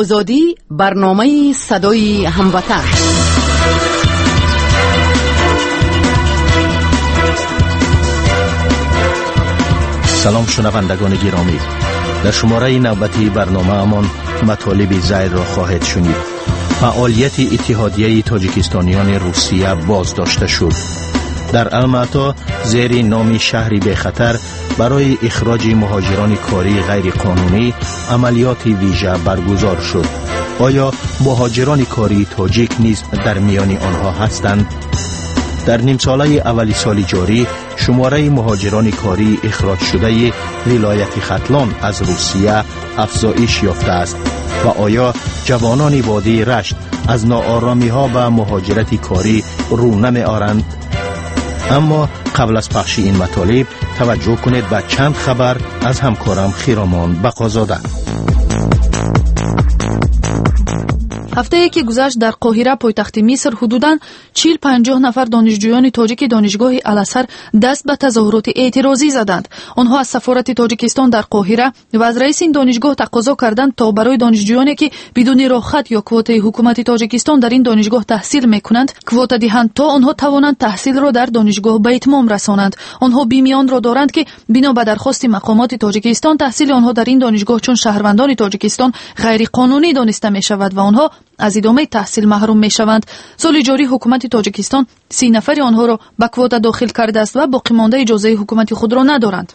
Озодӣ, барномаи садои ҳамватан. Салом, шунавандагони гиромӣ. Дар шумораи навбатии барномаамон матолиби зайрро хоҳед шунид. Фаъолияти Иттиҳодияи тоҷикистониёни Русия боздошта шуд. Дар Алмато зери номи шаҳри бехатар барои ихроҷи муҳоҷирони кории ғайриқонунӣ амалиёти вижа баргузор шуд. Оё муҳоҷирони кории тоҷик низ дар миёни онҳо ҳастанд? Дар нимсолаи аввали соли ҷорӣ шумораи муҳоҷирони кории ихроҷшудаи вилояти Хатлон аз Русия афзоиш ёфтааст ва оё ҷавонони водии Рашт аз нооромиҳо ба муҳоҷирати корӣ рӯ намеоранд? Аммо қабл аз пахши ин матолиб таваҷҷӯҳ кунед ба чанд хабар аз ҳамкорам Хиромон Бақозода. Ҳафтае ки гузашт, дар Қоҳира, пойтахти Миср, ҳудудан 40-50 нафар донишҷӯёни тоҷики донишгоҳи Алазҳар даст ба тазоҳуроти эътирозӣ заданд. Онҳо аз сафорати Тоҷикистон дар Қоҳира ва аз раиси ин донишгоҳ тақозо карданд, то барои донишҷӯёне, ки бидуни роҳхат ё квотаи ҳукумати Тоҷикистон дар ин донишгоҳ таҳсил мекунанд, квота диҳанд, то онҳо тавонанд таҳсилро дар донишгоҳ ба итмом расонанд. Онҳо бими онро доранд, ки бино ба дархости мақомоти Тоҷикистон таҳсили онҳо дар ин донишгоҳ чун шаҳрвандони Тоҷикистон ғайриқонунӣ дониста мешавад ва онҳо аз идомаи таҳсил маҳрум мешаванд. Соли ҷорӣ ҳукумати Тоҷикистон 30 нафари онҳоро ба квота дохил кардааст ва боқимонда иҷозаи ҳукумати худро надоранд.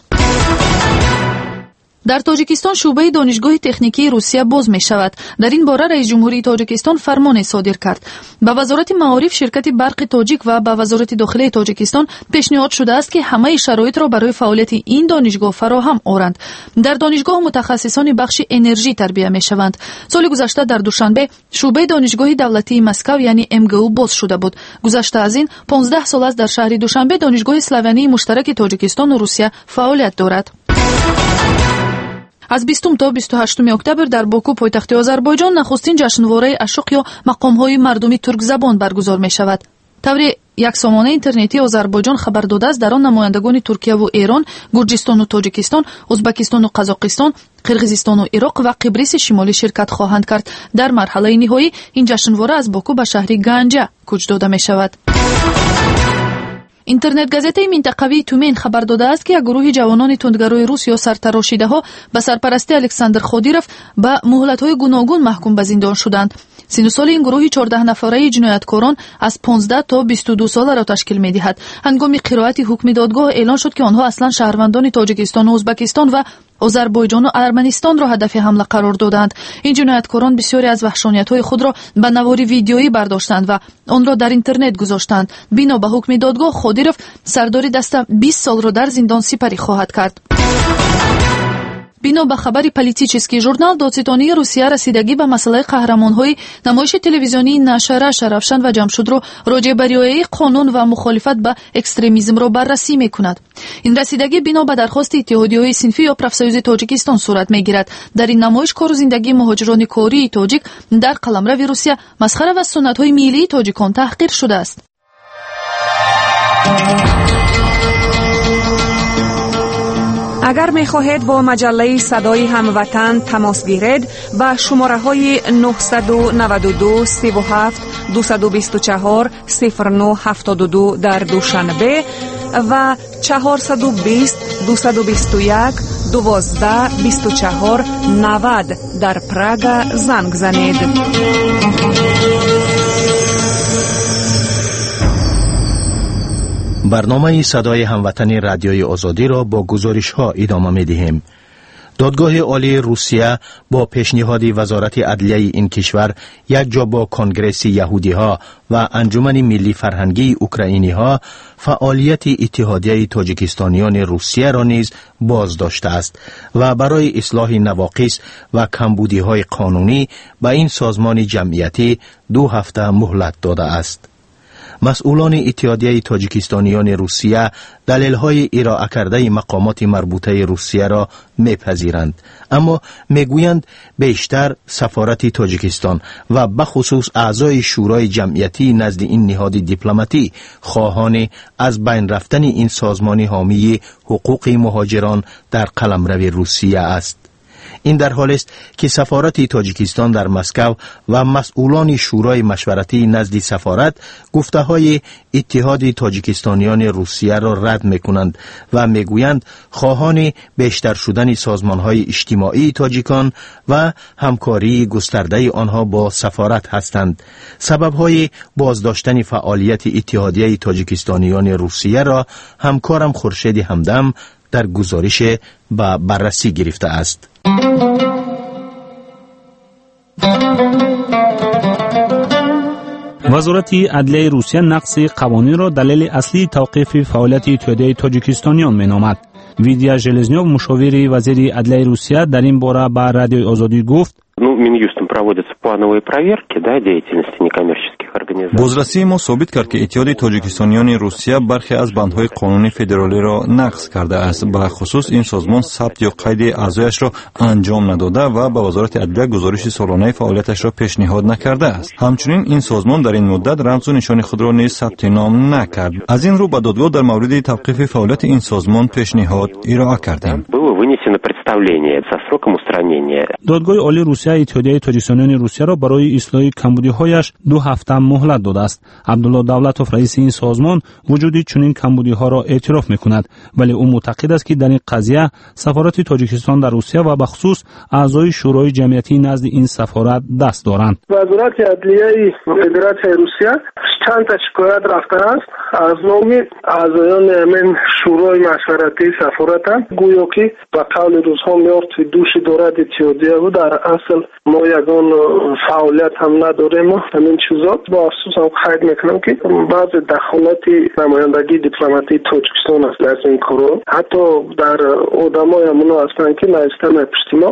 Дар Тоҷикистон шӯъбаи донишгоҳи техникии Русия боз мешавад. Дар ин бора раиси ҷумҳурии Тоҷикистон фармоне содир кард. Ба Вазорати маориф, ширкати барқи тоҷик ва ба Вазорати дохилаи Тоҷикистон пешниҳод шудааст, ки ҳамаи шароитро барои фаъолияти ин донишгоҳ фароҳам оранд. Дар донишгоҳ мутахассисони бахши энержӣ тарбия мешаванд. Соли гузашта дар Душанбе шӯъбаи донишгоҳи давлатии Москав, яъне МГУ, боз шуда буд. Гузашта аз ин 15 сол аст дар шаҳри Душанбе донишгоҳи славянии муштараки Тоҷикистону Русия фаъолият дорад. Аз 20 то 28 октябр дар Боку, пойтахти Озарбойҷон, нахустин ҷашнвораи ашуқ ё мақомҳои мардуми туркзабон баргузор мешавад. Тавре як сомонаи интернетии Озарбойҷон хабар додааст, дар он намояндагони Туркияву Эрон, Гурҷистону Тоҷикистон, Узбакистону Қазоқистон, Қирғизистону Ироқ ва Қибриси Шимолӣ ширкат хоҳанд кард. Дар марҳалаи ниҳоӣ ин ҷашнвора аз Боку ба шаҳри Ганҷа кӯч дода мешавад. Интернет-газетаи минтақавии Тюмен хабар додааст, ки як гурӯҳи ҷавонони тундгарои рус ё сартарошидаҳо ба сарпарастии Александр Ходиров ба муҳлатҳои гуногун маҳкум ба зиндон шуданд. Сину соли ин гурӯҳи 14 нафараи ҷинояткорон аз 15 то 22 соларо ташкил медиҳад. Ҳангоми қироати ҳукми додгоҳ эълон шуд, ки онҳо аслан шаҳрвандони Тоҷикистону Узбакистон ва Озарбойҷону Арманистонро ҳадафи ҳамла қарор доданд. Ин ҷинояткорон бисёре аз ваҳшониятҳои худро ба навори видеоӣ бардоштанд ва онро дар интернет гузоштанд. Бино ба ҳукми додгоҳ, Ходиров, сардори даста, 20 солро дар зиндон сипарӣ хоҳад кард. Бино ба хабари «Политический журнал», додситонии Русия расидагӣ ба масъалаи қаҳрамонҳои намоиши телевизионии «Наша Раша» Равшан ва Ҷамшудро роҷеъ ба риояи қонун ва мухолифат ба экстремизмро баррасӣ мекунад. Ин расидагӣ бино ба дархости иттиҳодиҳои синфӣ ё профсоюзи Тоҷикистон сурат мегирад. Дар ин намоиш кору зиндагии муҳоҷирони кории тоҷик дар қаламрави Русия масхара ва суннатҳои миллии тоҷикон таҳқир шудааст. Агар мехоҳед бо маҷаллаи «Садои ҳамватан» тамос гиред, ба шумораҳои 992 37 224 09 72 дар Душанбе ва 420 221 12 24 90 дар Прага занг занед. Барномаи «Садои ҳамватани» Радиои Озодиро бо гузоришҳо идома медиҳем. Додгоҳи Олии Русия бо пешниҳоди Вазорати адлияи ин кишвар якҷо бо Конгресси яҳудиҳо ва Анҷумани миллӣ фарҳангии украиниҳо фаъолияти Иттиҳодияи тоҷикистониёни Русияро низ боздоштааст ва барои ислоҳи навоқис ва камбудиҳои қонунӣ ба ин созмони ҷамъиятӣ 2 ҳафта муҳлат додааст. Масъулони Иттиҳодияи тоҷикистониёни Русия далелҳои ироа кардаи мақомоти марбутаи Русияро мепазиранд, аммо мегӯянд, бештар сафорати Тоҷикистон ва бахусус аъзои шӯрои ҷамъиятии назди ин ниҳоди дипломатӣ хоҳони аз байн рафтани ин созмони ҳомии ҳуқуқи муҳоҷирон дар қаламрави Русия аст. Ин дар ҳолест, ки сафорати Тоҷикистон дар Москав ва масъулони Шӯрои машваратии назди сафорат гуфтаҳои Иттиҳоди тоҷикистониёни Русияро рад мекунанд ва мегӯянд, хоҳони бештар шудани созмонҳои иҷтимоии тоҷикон ва ҳамкории густардаи онҳо бо сафорат ҳастанд. Сабабҳои боздоштани фаъолияти Иттиҳодияи тоҷикистониёни Русияро ҳамкорам Хуршеди Ҳамдам дар гузориш ба баррасӣ гирифтааст. Вазорати адлияи Русия нақси қавонинро далели аслии тавқифи фаъолияти Иттиҳодияи тоҷикистониён меномад. Видия Железнёв, мушовири вазири адлияи Русия, дар ин бора ба Радиои Озодӣ гуфт: Ну, Минюстом проводятся плановые проверки, да, деятельности некоммерческих организаций. Бозрасии мо собит кард, ки Иттиҳоди тоҷикистониёни Русия бархе аз бандҳои қонуни федералиро нақз кардааст. Ба хусус, ин созмон сабт ё қайди аъзояшро анҷом надода ва ба Вазорати адлия гузориши солонаи фаъолияташро пешниҳод накардааст. Ҳамчунин ин созмон дар ин муддат рамзу нишони худро низ сабти ном накард. Аз ин рӯ ба додгоҳ дар мавриди тавқифи фаъолияти ин созмон пешниҳод ироа кардем. Было вынесено представление со сроком устранения. Додгоҳи Олии Русия Иттиҳодияи тоҷикистониёни Русияро барои ислоҳи камбудиҳояш 2 ҳафта муҳлат додааст. Абдулло Давлатов, раиси ин созмон, вуҷуди чунин камбудиҳоро эътироф мекунад, вале ӯ мӯътақид аст, ки дар ин қазия сафорати Тоҷикистон дар Русия ва бахусус аъзои Шӯрои ҷамъиятии назди ин сафорат даст доранд. Вазорати адлияи Федератсияи Русия чанд та шикоят рафтааст аз номи аъзоёни ҳамин Шӯрои машваратии сафоратанд, гӯё ки ба қавли рӯзҳо мёртви души дорад иттиҳодияву дар асл мо ягон фаъолият ҳам надорем. Ҳамин чизо бо афсӯс ҳам қайд мекунам, ки баъзе дахолати намояндагии дипломатии Тоҷикистон аст дар ин корҳо, ҳатто дар одамои ҳамоно ҳастанд, ки нависта мепушти мо.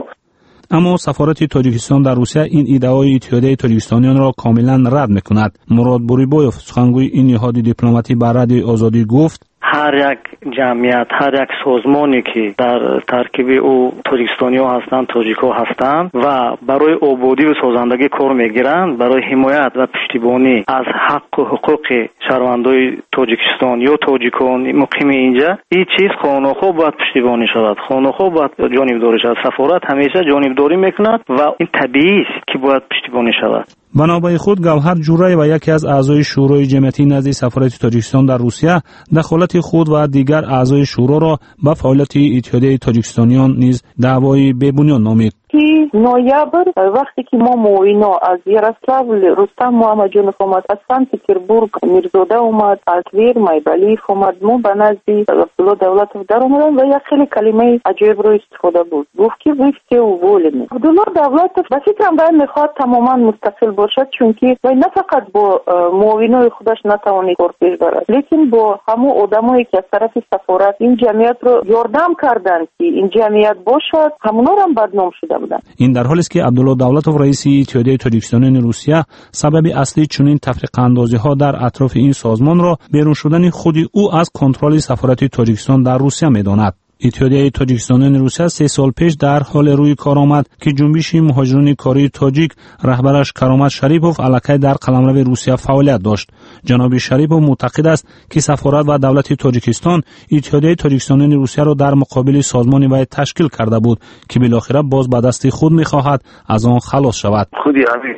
Аммо сафорати Тоҷикистон дар Русия ин иддаои Иттиҳодияи тоҷикистониёнро комилан рад мекунад. Мурод Бурибоев, сухангӯи ин ниҳоди дипломатӣ, ба Радиои Озодӣ гуфт: Ҳар як ҷамъият, ҳар як созмоне, ки дар таркиби ӯ тоҷикистониҳо ҳастанд, тоҷикҳо ҳастанд ва барои ободиву созандагӣ кор мегиранд, барои ҳимоят ва пуштибонӣ аз ҳаққу ҳуқуқи шаҳрвандои Тоҷикистон ё тоҷикон муқими инҷа, ин чиз хонохо бояд пуштибонӣ шавад, хонохо бояд ҷонибдорӣ шавад. Сафорат ҳамеша ҷонибдорӣ мекунад ва ин табиист, ки бояд пуштибонӣ шавад. Ба навбаи худ Гавҳар Ҷураева, яке аз аъзои Шӯрои ҷамъиятии назди сафорати Тоҷикистон дар Русия, дахолати худ ва дигар аъзои шӯроро ба фаъолияти Иттиҳодияи тоҷикистониён низ даъвои бебунёд номид. Ноябр, вақте ки мо муоино аз Ярославл Рустам Муҳаммадҷонов омад, аз Санкт-Петербург Мирзода омад, аз Твер Майбалиев омад, мо ба назди Абдулло Давлатов даромадам ва як хеле калимаи аҷоибро истифода бурд. Гуфт, ки вы все уволены. Абдулло Давлатов, ба фикрам, вай мехоҳад тамоман мустақил бошад, чунки вай на фақат бо муовинои худаш натавонид кор пеш барад, лекин бо ҳамон одамое, ки аз тарафи сафорат ин ҷамъиятро ёрдам карданд, ки ин ҷамъият бошад, ҳамонорам бадном шуда буданд. Ин дар ҳолест, ки Абдулло Давлатов, раиси Иттиҳодияи тоҷикистониёни Русия, сабаби аслии чунин тафриқаандозиҳо дар атрофи ин созмонро берун шудани худи ӯ аз контроли сафорати Тоҷикистон дар Русия медонад. Иттиҳодияи тоҷикистониёни Русия 3 сол пеш дар ҳоле рӯи кор омад, ки ҷунбиши муҳоҷирони кории тоҷик, раҳбараш Каромат Шарипов, аллакай дар қаламрави Русия фаъолият дошт. Ҷаноби Шарипов мӯътақид аст, ки сафорат ва давлати Тоҷикистон Иттиҳодияи тоҷикистониёни Русияро дар муқобили созмони вай ташкил карда буд, ки билохира боз ба дасти худ мехоҳад аз он халос шавад. Худи ҳамин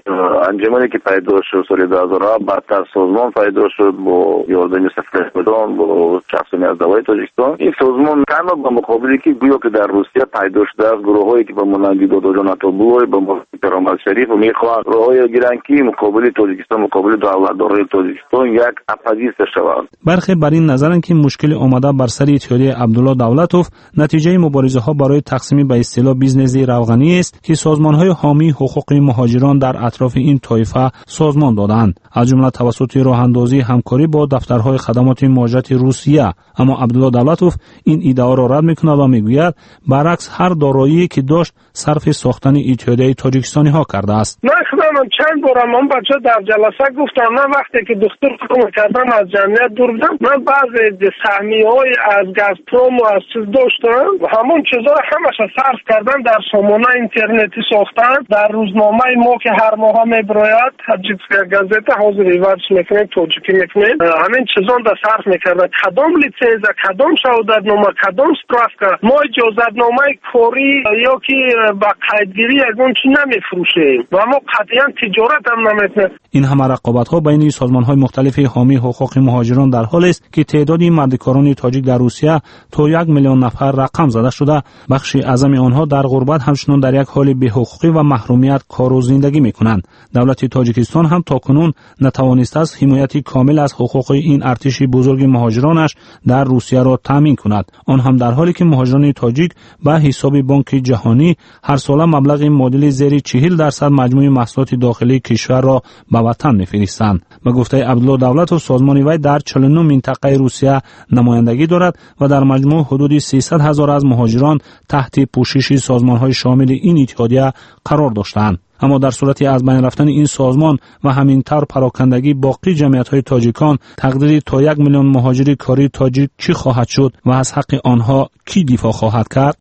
анҷумане, ки пайдо шуд соли 2007, баъдтар созмон пайдо шуд бо ёрдами сафоратдон, бо шахсони аз давлати Тоҷикистон. Ин созмон танҳо ба муқобиле, ки гӯё ки дар Русия пайдо шудааст гурӯҳҳое, ки ба монанди Додоҷон Атобуллоев, ба монанди Каромат Шарифов мехоҳанд роҳҳое гиранд, ки муқобили Тоҷикистон, муқобили давлатдорони Тоҷикистон як оппозитсия шаванд. Бархе бар ин назаранд, ки мушкили омада бар сари Иттиҳодияи Абдулло Давлатов натиҷаи муборизаҳо барои тақсими ба истилоҳ бизнеси равғаниест, ки созмонҳои ҳомии ҳуқуқи муҳоҷирон дар атрофи ин тоифа созмон додаанд, аз ҷумла тавассути роҳандозии ҳамкорӣ бо дафтарҳои хадамоти муҳоҷирати Русия. Аммо Абдулло Давлатов ин иддаоро рад мекунад ва мегӯяд, баръакс, ҳар дороие, ки дошт, сарфи сохтани Иттиҳодияи тоҷикистониҳо кардааст. Ман худам чанд борам он бача дар ҷаласа гуфтам, ман вақте ки духтур кор кардам, аз ҷамъият дур будам, ман баъзе саҳмияҳои аз Газпрому аз чиз доштам, ҳамон чизҳоро ҳамаша сарф кардам, дар сомонаи интернетӣ сохтам, дар рӯзномаи мо, ки ҳар моҳа мебирояд, Таджикская газета, ҳозир иваз мекунем, тоҷикӣ мекунем, ҳамин чизонда сарф мекардам. Кадом литсензия, кадом шаҳодатнома, кадом справка. Мо иҷозатномаи корӣ ё ки ба қайдгирӣ ягон чӣ намефурӯшем ва мо қатъиян тиҷорат ҳам намекунем. Ин ҳама рақобатҳо байни созмонҳои мухталифи ҳомии ҳуқуқи муҳоҷирон дар ҳолест, ки теъдоди мардикорони тоҷик дар Русия то 1 миллион нафар рақам зада шуда, бахши аъзами онҳо дар ғурбат ҳамчунон дар як ҳоли беҳуқуқӣ ва маҳрумият кору зиндагӣ мекунанд. Давлати Тоҷикистон ҳам то кунун натавонистааст ҳимояти комил аз ҳуқуқи ин артиши бузурги муҳоҷиронаш дар Русияро таъмин кунад. Он ҳам дар ҳоле ки муҳоҷирони тоҷик ба ҳисоби Бонки Ҷаҳонӣ ҳарсола маблағи муодили зери 40% маҷмӯи маҳсулоти дохилии кишварро ба ватан мефиристанд. Ба гуфтаи Абдулло Давлатов, созмони вай дар 49 минтақаи Русия намояндагӣ дорад ва дар маҷмӯъ ҳудуди 300 ҳазор аз муҳоҷирон таҳти пӯшиши созмонҳои шомили ин иттиҳодия қарор доштаанд. Аммо дар сурати аз байн рафтани ин созмон ва ҳамин тавр парокандагии боқӣ ҷамъиятҳои тоҷикон, тақдири то 1 миллион муҳоҷири кории тоҷик чӣ хоҳад шуд ва аз ҳаққи онҳо кӣ дифоъ хоҳад кард?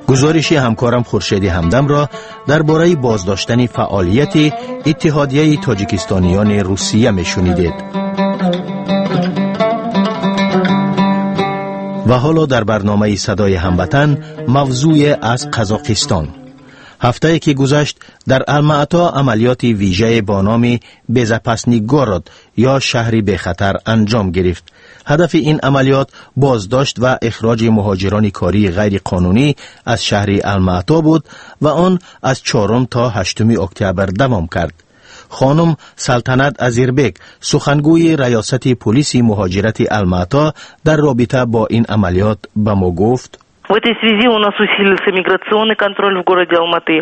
Гузориши ҳамкорам Хуршеди Ҳамдамро дар бораи боздоштани фаъолияти Иттиҳодияи Тоҷикистониёни Русия мешунидед. Ва ҳоло дар барномаи Садои Ҳамватан мавзӯе аз Қазоқистон. Ҳафтае ки гузашт дар Алмаато амалиёти вижае бо номи Безопасный город ё шаҳри бехатар анҷом гирифт. Ҳадафи ин амалиёт боздошт ва ихроҷи муҳоҷирони кории ғайриқонунӣ аз шаҳри Алмаато буд ва он аз 4 то 8 октябр давом кард. Хонум Салтанат Азирбек, сухангӯи раёсати полиси муҳоҷирати Алмаато, дар робита бо ин амалиёт ба мо гуфт: В этой связи у нас усилился миграционный контроль в городе Алматы.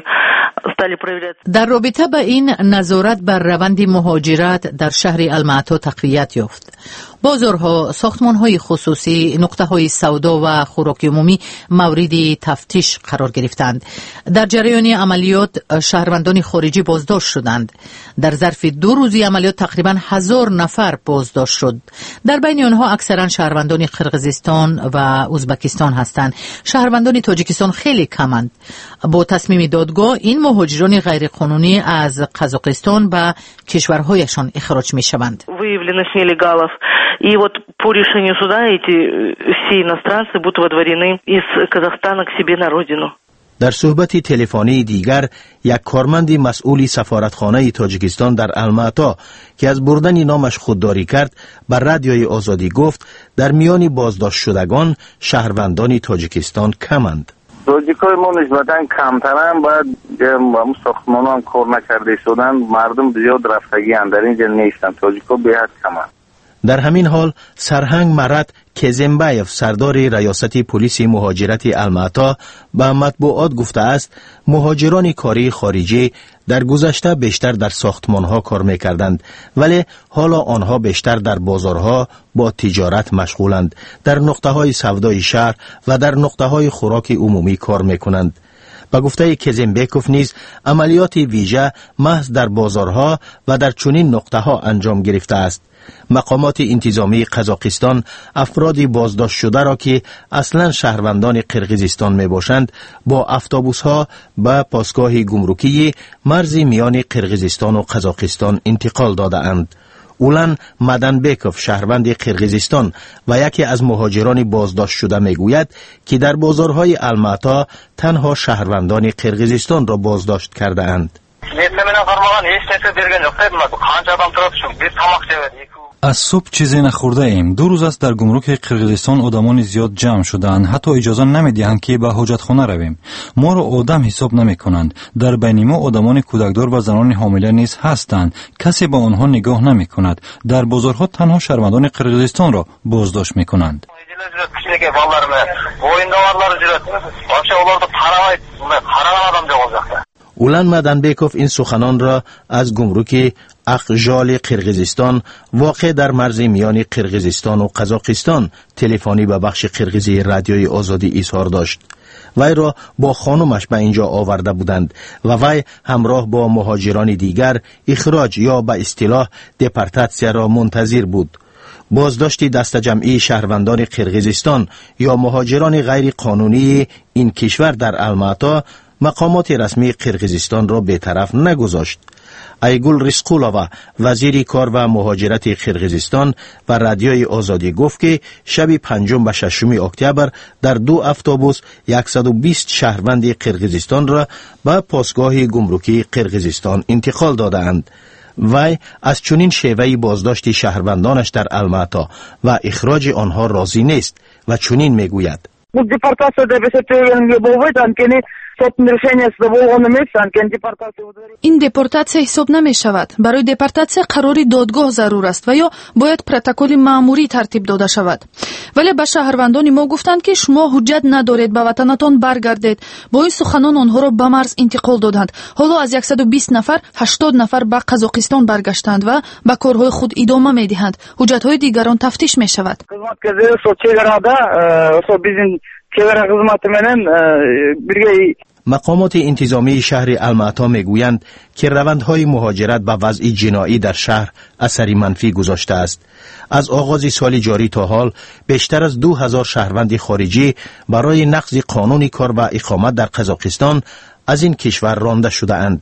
Стали проверять. Дар робита ба ин назорат бар раванди муҳоҷират дар шаҳри Алмаато тақвият ёфт. Бозорҳо, сохтмонҳои хусусӣ, нуқтаҳои савдо ва хӯроки умумӣ мавриди тафтиш қарор гирифтанд. Дар ҷараёни амалиёт шаҳрвандони хориҷӣ боздошт шуданд. Дар зарфи 2 рӯзи амалиёт тақрибан 1000 нафар боздошт шуд. Дар байни онҳо аксаран шаҳрвандони Қирғизистон ва Ӯзбекистон ҳастанд. Шаҳрвандони Тоҷикистон хеле каманд. Бо тасмими додгоҳ ин муҳоҷирони ғайриқонунӣ аз Қазоқистон ба кишварҳояшон ихроҷ мешаванд. Выявленных нелегалов. И вот по решению суда эти все иностранцы будут водворены из Казахстана к себе на родину. Дар суҳбати телефонии дигар як корманди масъули сафоратхонаи Тоҷикистон дар Алмаато, ки аз бурдани номаш худдорӣ кард, ба Радиои Озодӣ гуфт, дар миёни боздоштшудагон шаҳрвандони Тоҷикистон каманд. Тоҷикҳои мо нисбатан камтаранд, баъд сохтмонҳо кор накарда истоданд, мардум зиёд рафтагианд, дар инҷа нестанд, тоҷикҳо беҳад каманд. Дар ҳамин ҳол сарҳанг Марат Кезембаев, сардори раёсати полиси муҳоҷирати Алмаато, ба матбуот гуфтааст, муҳоҷирони кории хориҷӣ дар гузашта бештар дар сохтмонҳо кор мекарданд, вале ҳоло онҳо бештар дар бозорҳо бо тиҷорат машғуланд, дар нуқтаҳои савдои шаҳр ва дар нуқтаҳои хӯроки умумӣ кор мекунанд. Ба гуфтаи Кезембеков низ амалиёти вижа маҳз дар бозорҳо ва дар чунин нуқтаҳо анҷом гирифтааст. Мақомоти интизомии Қазоқистон афроди боздоштшударо, ки аслан шаҳрвандони Қирғизистон мебошанд, бо автобусҳо ба посгоҳи гумрукии марзи миёни Қирғизистону Қазоқистон интиқол додаанд. Улан Маданбеков, шаҳрванди Қирғизистон ва яке аз муҳоҷирони боздоштшуда, мегӯяд, ки дар бозорҳои Алмаато танҳо шаҳрвандони Қирғизистонро боздошт кардаанд. Аз субҳ чизе нахӯрдаем. 2 рӯз аст дар гумруки Қирғизистон одамони зиёд ҷамъ шудаанд, ҳатто иҷоза намедиҳанд, ки ба ҳоҷатхона равем. Моро одам ҳисоб намекунанд. Дар байни мо одамони кӯдакдор ва занони ҳомила низ ҳастанд. Касе ба онҳо нигоҳ намекунад. Дар бозорҳо танҳо шаҳрвандони Қирғизистонро боздошт мекунанд. Улан Маданбеков ин суханонро аз гумруки Ақжоли Қирғизистон, воқеъ дар марзи миёни Қирғизистону Қазоқистон, телефонӣ ба бахши қирғизии Радиои Озодӣ изҳор дошт. Вайро бо хонумаш ба инҷо оварда буданд ва вай ҳамроҳ бо муҳоҷирони дигар ихроҷ ё ба истилоҳ депортатсияро мунтазир буд. Боздошти дастаҷамъии шаҳрвандони Қирғизистон ё муҳоҷирони ғайриқонунии ин кишвар дар Алмаато мақомоти расмии Қирғизистонро бетараф нагузошт. Айгул Рисқулова, вазири кор ва муҳоҷирати Қирғизистон, ба Радиои Озодӣ гуфт, ки шаби 5 ба 6 октябр дар 2 автобус 120 шаҳрванди Қирғизистонро ба посгоҳи гумрукии Қирғизистон интиқол додаанд. Вай аз чунин шеваи боздошти шаҳрвандонаш дар Алмато ва ихроҷи онҳо розӣ нест ва чунин мегӯяд: Бул депортация деп эсептегенге болбойт, анткени соттун решенияси да болгон эмес, анткени депортация. Ин депортатсия ҳисоб намешавад. Барои депортатсия қарори додгоҳ зарур аст ва ё бояд протоколи маъмурӣ тартиб дода шавад. Вале ба шаҳрвандони мо гуфтанд, ки шумо ҳуҷҷат надоред, ба ватанатон баргардед. Бо ин суханон онҳоро ба марз интиқол доданд. Ҳоло аз 120 нафар 80 нафар ба Қазоқистон баргаштанд ва ба корҳои худ идома медиҳанд. Ҳуҷҷатҳои дигарон тафтиш мешавад. Кызматкерлери ошол чек арада, ошол биздин чек ара кызматы менен бирге. Мақомоти интизомии шаҳри Алмато мегӯянд, ки равандҳои муҳоҷират ба вазъи ҷиноӣ дар шаҳр асари манфӣ гузоштааст. Аз оғози соли ҷорӣ то ҳол бештар аз 2000 шаҳрванди хориҷӣ барои нақзи қонуни кор ва иқомат дар Қазоқистон аз ин кишвар ронда шудаанд.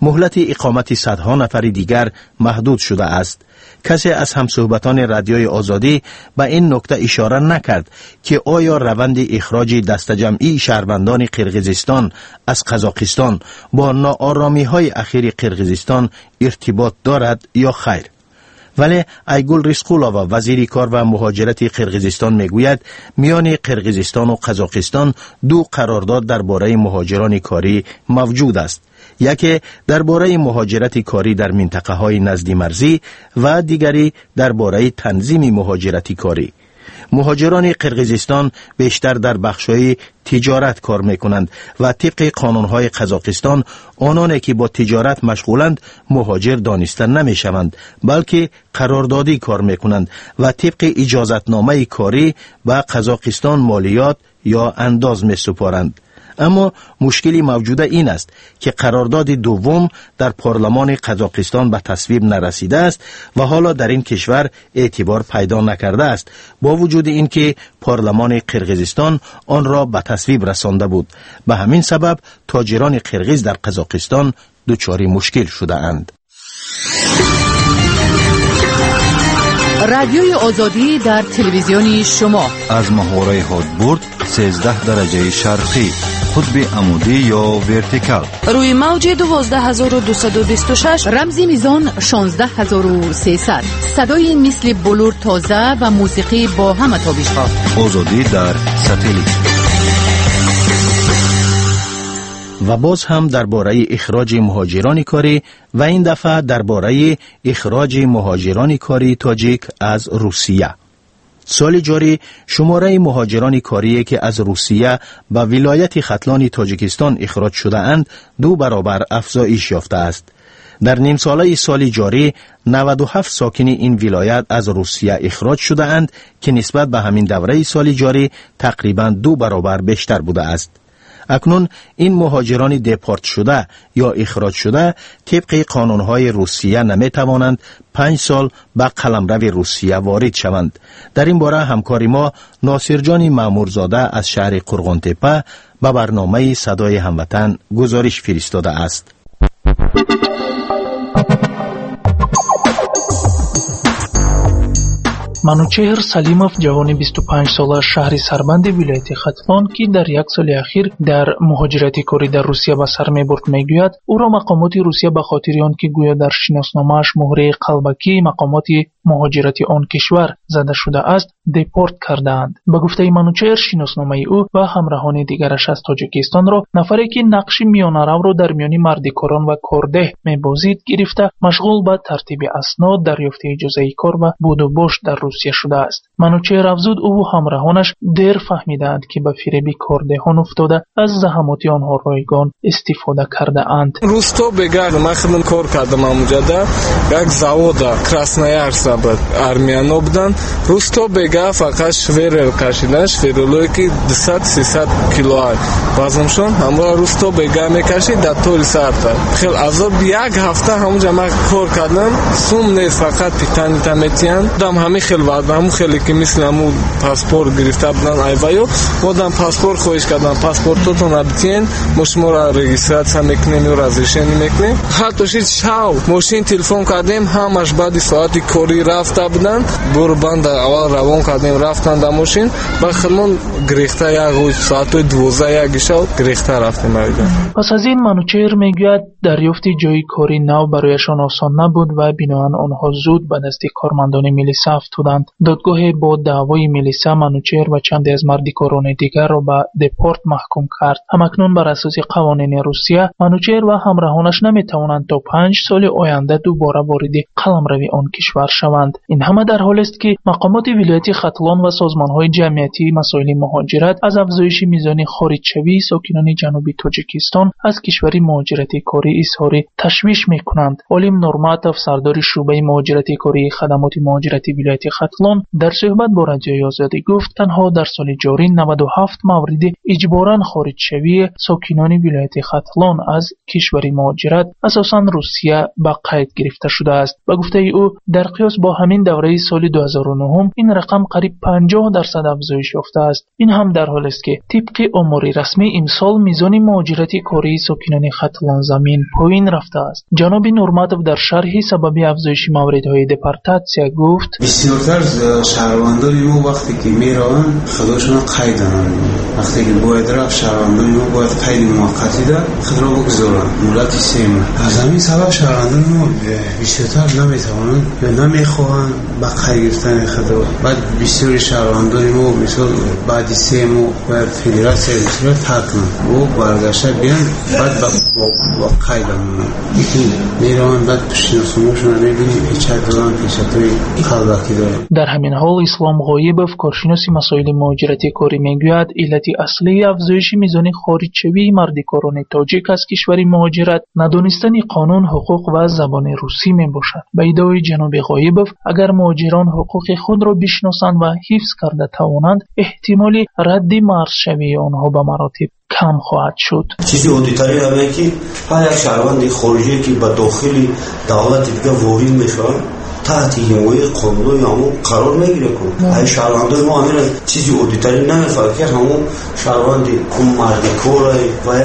Муҳлати иқомати садҳо нафари дигар маҳдуд шудааст. Касе аз ҳамсӯҳбатони Радиои Озодӣ ба ин нукта ишора накард, ки оё раванди ихроҷи дастаҷамъии шаҳрвандони Қирғизистон аз Қазоқистон бо нооромиҳои ахири Қирғизистон иртибот дорад ё хайр. Вале Айгул Рисқулова, вазири кор ва муҳоҷирати Қирғизистон, мегӯяд, миёни Қирғизистону Қазоқистон 2 қарордод дар бораи муҳоҷирони корӣ мавҷуд аст. Яке дар бораи муҳоҷирати корӣ дар минтақаҳои наздимарзӣ ва дигаре дар бораи танзими муҳоҷирати корӣ. Муҳоҷирони Қирғизистон бештар дар бахшҳои тиҷорат кор мекунанд ва тибқи қонунҳои Қазоқистон ононе ки бо тиҷорат машғуланд муҳоҷир дониста намешаванд, балки қарордодӣ кор мекунанд ва тибқи иҷозатномаи корӣ ба Қазоқистон молиёт ё андоз месупоранд. Аммо мушкили мавҷуда ин аст, ки қарордоди дуввум дар парлумони Қазоқистон ба тасвиб нарасидааст ва ҳоло дар ин кишвар эътибор пайдо накардааст, бо вуҷуди ин ки парлумони Қирғизистон онро ба тасвиб расонда буд. Ба ҳамин сабаб тоҷирони қирғиз дар Қазоқистон дучори мушкил шудаанд. Радиои Озодӣ дар телевизиони шумо. Аз маҳвораи ҳодбурд 13 дараҷаи шарқӣ, қутби амудӣ ё вертикал. Рӯи мавҷи 12226, рамзи мизон 16300. Садои мисли булур тоза ва мусиқӣ бо ҳама тобишҳо. Озодӣ дар сателлит. Ва боз ҳам дар бораи ихроҷи муҳоҷирони корӣ ва ин дафъа дар бораи ихроҷи муҳоҷирони кории тоҷик аз Русия. Соли ҷорӣ шумораи муҳоҷирони корие ки аз Русия ба вилояти Хатлони Тоҷикистон ихроҷ шудаанд 2 баробар афзоиш ёфтааст. Дар нимсолаи соли ҷорӣ 97 сокини ин вилоят аз Русия ихроҷ шудаанд, ки нисбат ба ҳамин давраи соли ҷорӣ тақрибан 2 баробар бештар будааст. Акнун ин муҳоҷирони депорт шуда ё ихроҷ шуда тибқи қонунҳои Русия наметавонанд 5 сол ба қаламрави Русия ворид шаванд. Дар ин бора ҳамкори мо Носирҷони Маъмурзода аз шаҳри Қурғонтепа ба барномаи Садои ҳамватан гузориш фиристодааст. Манучеҳр Салимов, ҷавони 25-сола шаҳри Сарбанди вилояти Хатлон, ки дар як соли ахир дар муҳоҷирати корӣ дар Русия ба сар мебурд, мегӯяд, ӯро мақомоти Русия ба хотири он ки гӯё дар шиносномааш муҳраи қалбакии мақомоти муҳоҷирати он кишвар зада шудааст, депорт кардаанд. Ба гуфтаи Манучеҳр, шиносномаи ӯ ва ҳамраҳони дигараш аз Тоҷикистонро нафаре ки нақши миёнаравро дар миёни мардикорон ва кордеҳ мебозид гирифта, машғул ба тартиби аснод, дарёфти иҷозаи кор ва будубош дар Русия шудааст. Манучеҳр афзуд, ӯву ҳамраҳонаш дер фаҳмидаанд, ки ба фиреби кордеҳон уфтода аз заҳамоти онҳо ройгон истифода кардаанд. Русто бегар ман худам кор кардам амуҷада як завода Красноярса. набуд. Армияно буданд. Рӯз то бега фақат шверел кашидан, шверелое ки 200-300 кило вазншон, ҳамора рӯз то бега мекашид дар толи сарта. Хел азоб як ҳафта ҳамунҷа ман кор кардам, сум нест, фақат питанита метиҳанд. Дам ҳамин хел вазн, ҳамун хеле ки мисли ҳамун паспорт гирифта буданд айваё, мо дам паспорт хоҳиш кардам, паспортотон битиҳен, мо шуморо регистрация мекунем ё разрешение мекунем. Ҳатто шид шав мошин телефон кардем, ҳамаш баъди соати корӣ рафта буданд. Бурбанда аввал равон кардем, рафтан дар мошин, ба худмон гирехта як соатҳои 12-1 шав гирехта рафтем. Пас аз ин Манучеҳр мегӯяд, дарёфти ҷойи кори нав барояшон осон набуд ва биноан онҳо зуд ба дасти кормандони милиса афтоданд. Додгоҳе бо даъвои милиса Манучеҳр ва чанде аз мардикорони дигарро ба депорт маҳкум кард. Ҳамакнун бар асоси қавонини Русия Манучеҳр ва ҳамраҳонаш наметавонанд то 5 соли оянда дубора вориди қаламрави он кишвар шаванд. Ин ҳама дар ҳолест ки мақомоти вилояти Хатлон ва созмонҳои ҷамъиятии масоили муҳоҷират аз афзоиши мизони хориҷшавии сокинони ҷануби Тоҷикистон аз кишвари муҳоҷирати корӣ изҳори ташвиш мекунанд. Олим Нурматов, сардори шӯъбаи муҳоҷирати кории хадамоти муҳоҷирати вилояти Хатлон, дар суҳбат бо Радиои Озодӣ гуфт, танҳо дар соли ҷорӣ 97 мавриди иҷборан хориҷшавии сокинони вилояти Хатлон аз кишвари муҳоҷират, асосан Русия, ба қайд гирифта шудааст. Ба гуфтаи ӯ, дар қиёс бо ҳамин давраи соли 2009 ин рақам қариб 50% афзоиш ёфтааст. Ин ҳам дар ҳолест ки тибқи омори расмӣ имсол мизони муҳоҷирати кории сокинони Хатлонзамин поин рафтааст. Ҷаноби Нурматов дар шарҳи сабаби афзоиши мавридҳои депортатсия гуфт: бисёртар шаҳрвандони мо вақте ки мераванд, худошонро қайд доранд. Вақте ки бояд рафт, шаҳрвандони мо бояд қайди муваққатида худро бигузоранд муддати 3 моҳ. Аз ҳамин сабаб шаҳрвандони мо бисёртар наметавонанд ё намехоҳанд ба қайд гирифтани худро. Баъд бисёри шаҳрвандони мо мисол баъди 3 моҳ бояд федератсияи Русияро тарк кунанд, ӯ баргашта биёнд, баъд ба қайд монанд. Лекин мераванд, баъд шиносномаашонро мебинем, печат доранд, печатҳои қалбакӣ доранд. Дар ҳамин ҳол Ислом Ғоибов, коршиноси масоили муҳоҷирати корӣ, мегӯяд иллати аслии афзоиши мизони хориҷшавии мардикорони тоҷик аз кишвари муҳоҷират надонистани қонун, ҳуқуқ ва забони русӣ мебошад. Ба иддаои ҷаноби Ғоибов, агар муҳоҷирон ҳуқуқи худро бишносанд ва ҳифз карда тавонанд, эҳтимоли радди марзшавии онҳо ба маротиб кам хоҳад шуд. Чизи оддитарин ҳамае ки ҳар як шаҳрванди хориҷие ки ба дохили давлати дигар ворид мешаванд, таҳти ҳимояи қонунҳои ҳамон қарор мегирад. Ай шаҳрвандои мо ҳамин чизи оддитарин намефаҳмад ки ҳамон шаҳрванди мардикора ва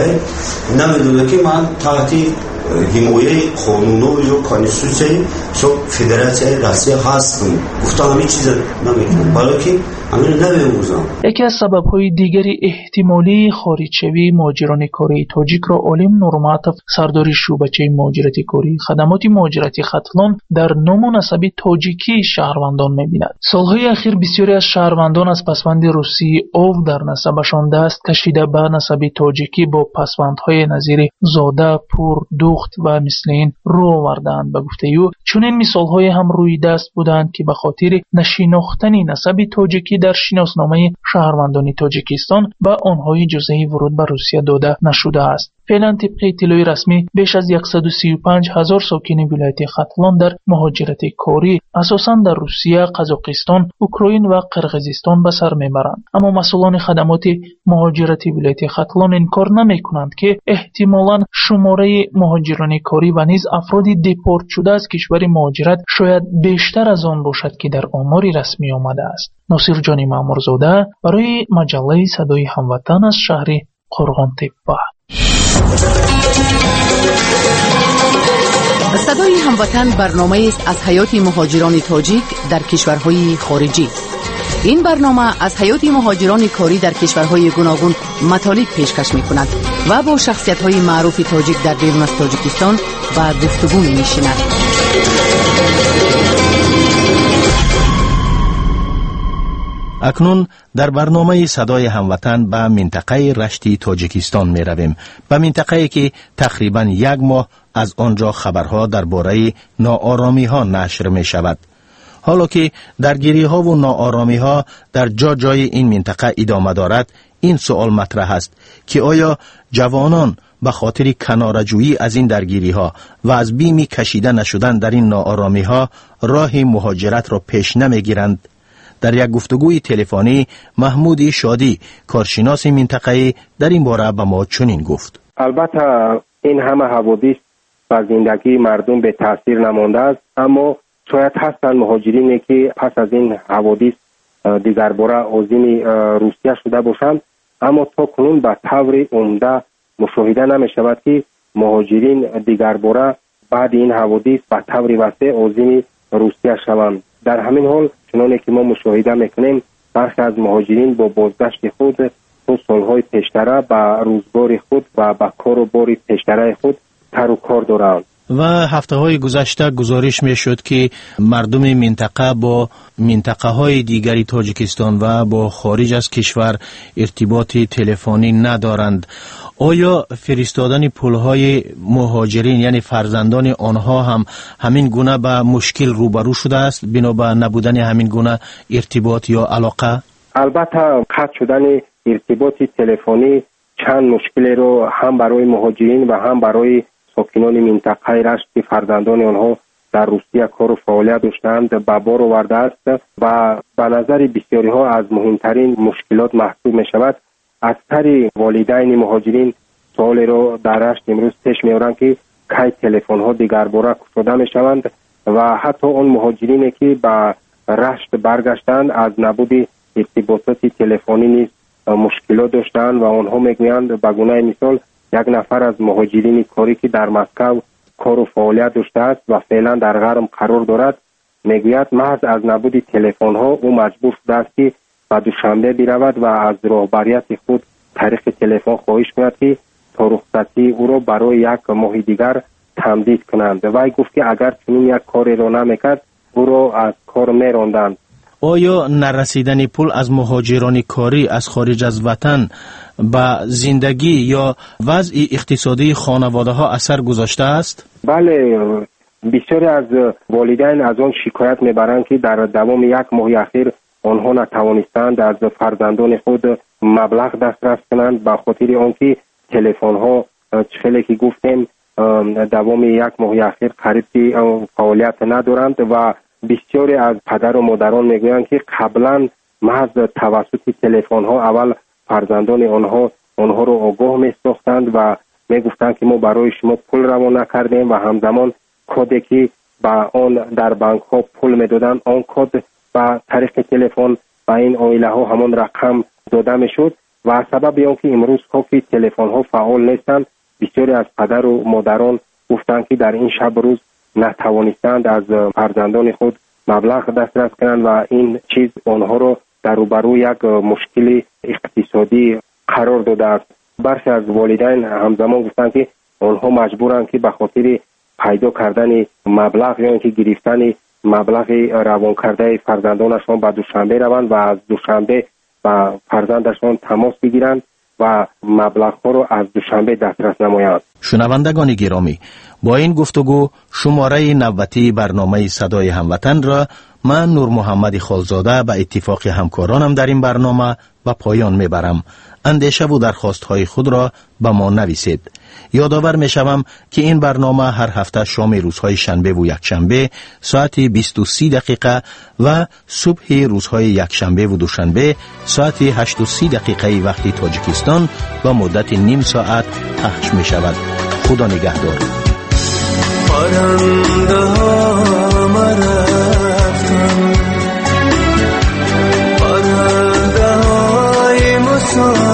намедонад ки ман таҳти ҳимояи қонунҳо ё конститутсияи федератсияи Россия ҳастам. Гуфта ҳамин чиза наметавонам, барое ки ҳаминро намеомӯзам. Яке аз сабабҳои дигари эҳтимолии хориҷшавии муҳоҷирони кории тоҷикро Олим Нурматов, сардори шӯъбачаи муҳоҷирати кории хадамоти муҳоҷирати Хатлон, дар ному насаби тоҷикии шаҳрвандон мебинад. Солҳои ахир бисёре аз шаҳрвандон аз пасванди русии ов дар насабашон даст кашида ба насаби тоҷикӣ бо пасвандҳои назири зода, пур, духт ва мисли ин рӯ овардаанд. Ба гуфтаи ӯ, чунин мисолҳое ҳам рӯи даст буданд ки ба хотири нашинохтани насаби тоҷикӣ дар шиносномаи шаҳрвандони Тоҷикистон ба онҳо иҷозаи вуруд ба Русия дода нашудааст. Феълан тибқи иттилои расмӣ беш аз 135 ҳазор сокини вилояти Хатлон дар муҳоҷирати корӣ асосан дар Русия, Қазоқистон, Украин ва Қирғизистон ба сар мебаранд. Аммо масъулони хадамоти муҳоҷирати вилояти Хатлон инкор намекунанд ки эҳтимолан шумораи муҳоҷирони корӣ ва низ афроди депортшуда аз кишвари муҳоҷират шояд бештар аз он бошад ки дар омори расмӣ омадааст. Носирҷони Маъмурзода барои маҷаллаи Садои ҳамватан аз шаҳри Қурғонтеппа. Садои ҳамватан барномаест аз ҳаёти муҳоҷирони тоҷик дар кишварҳои хориҷӣ. Ин барнома аз ҳаёти муҳоҷирони корӣ дар кишварҳои гуногун матолиб пешкаш мекунад ва бо шахсиятҳои маъруфи тоҷик дар берун аз Тоҷикистон ба гуфтугӯ менишинад. Акнун дар барномаи Садои ҳамватан ба минтақаи Рашти Тоҷикистон меравем, ба минтақае ки тақрибан як моҳ аз он ҷо хабарҳо дар бораи нооромиҳо нашр мешавад. Ҳоло ки даргириҳову нооромиҳо дар ҷо-ҷои ин минтақа идома дорад, ин суол матраҳ аст ки оё ҷавонон به خاطر کناره‌جویی از این درگیری‌ها و از بیم کشیده نشدن در این ناآرامی‌ها راه مهاجرت را پیش نمی‌گیرند؟ در یک گفتگوی تلفنی محمود شادی، کارشناس منطقه‌ای، در این باره به ما چنین گفت: البته این همه حوادث بر زندگی مردم به تاثیر نمانده است، اما شاید هستند مهاجرینی که پس از این حوادث دیگرباره عازم روسیه شده باشند، اما تا کنون به طور عمده مشاهده نمی شود که مهاجرین دیگرباره بعد این حوادث به طور وسیع عازم روسیه شوند. در همین حال چنانه که ما مشاهده میکنیم برخی از مهاجرین با بازگشت خود تا سالهای پیشتره به روزگار خود و به کار و بار پیشتره خود تر و کار دارند. و هفته های گذشته گزارش می شد که مردم منطقه با منطقه های دیگری تاجیکستان و با خارج از کشور ارتباط تلفنی ندارند. آیا فرستادن پولهای مهاجرین یعنی فرزندان آنها هم همین گونه به مشکل روبرو شده است بنا به نبودن همین گونه ارتباط یا علاقه؟ البته قطع شدن ارتباط تلفنی چند مشکل رو هم برای مهاجرین و هم برای ساکنان منطقه رشت که فرزندان آنها در روسیه کار و فعالیت داشتند به بار آورده است و به نظر بسیاری ها از مهمترین مشکلات محسوب می شود. اکثر والدین مهاجرین سوال را در رشت امروز پیش می‌آورند که کی تلفن ها دیگرباره گشوده می شوند و حتی آن مهاجرینی که به رشت برگشتند از نبود ارتباطات تلفنی نیز مشکلات داشتند و آنها میگویند به گونه مثال یک نفر از مهاجرین کاری که در مسکو کار و فعالیت داشته است و فعلا در غرب قرار دارد میگوید محض از نبود تلفن ها او مجبور شده است که به دوشنبه برود و از راهبریت خود طریق تلفن خواهش کند که تا رخصتی او را برای یک ماه دیگر تمدید کنند. وی گفت که اگر چنین یک کاری را نمیکرد او را از کار میراندند. آیا نرسیدن پول از مهاجران کاری از خارج از وطن به زندگی یا وضع اقتصادی خانواده ها اثر گذاشته است؟ بله، بسیاری از والدین از آن شکایت میبرند که در دوام یک ماه اخیر آنها نتوانستند از فرزندان خود مبلغ دسترس کنند به خاطر آنکه تلفن ها خیلی که گفتیم دوام یک ماه اخیر قریب که فعالیت ندارند و بسیاری از پدر و مادران میگویند که قبلا محض توسط تلفن ها اول فرزندان آنها را آگاه میساختند و میگفتند که ما برای شما پول روانه کردیم و همزمان کدی که به آن در بانک ها پول میدادند آن کد به طریق تلفن به این عائله ها همان رقم داده میشد و سبب آن که امروز ها که تلفن ها فعال نیستند بسیاری از پدر و مادران گفتند که در این شب روز نتوانستند از فرزندان خود مبلغ دسترس کنند و این چیز آنها را در روبروی یک مشکل اقتصادی قرار داده است. برخی از والدین همزمان گفتند که آنها مجبورند که به خاطر پیدا کردن مبلغ یا اینکه گرفتن مبلغ روان کرده فرزندانشان به دوشنبه روند و از دوشنبه به فرزندشان تماس بگیرند و مبلغ ها را از دوشنبه دسترس نمایند. شنوندگان گرامی، با این گفتگو شماره نوبتی برنامه صدای هموطن را من نور محمد خالزاده به اتفاق همکارانم در این برنامه به پایان میبرم. اندیشه و درخواست های خود را به ما نویسید. یادآور میشوم که این برنامه هر هفته شام روزهای شنبه و یکشنبه ساعت 20:30 و صبح روزهای یکشنبه و دوشنبه ساعت 8:30 وقت تاجیکستان و مدت نیم ساعت پخش می شود. خدا نگهدار. پرنده ها مرفتن، پرنده های مسافر.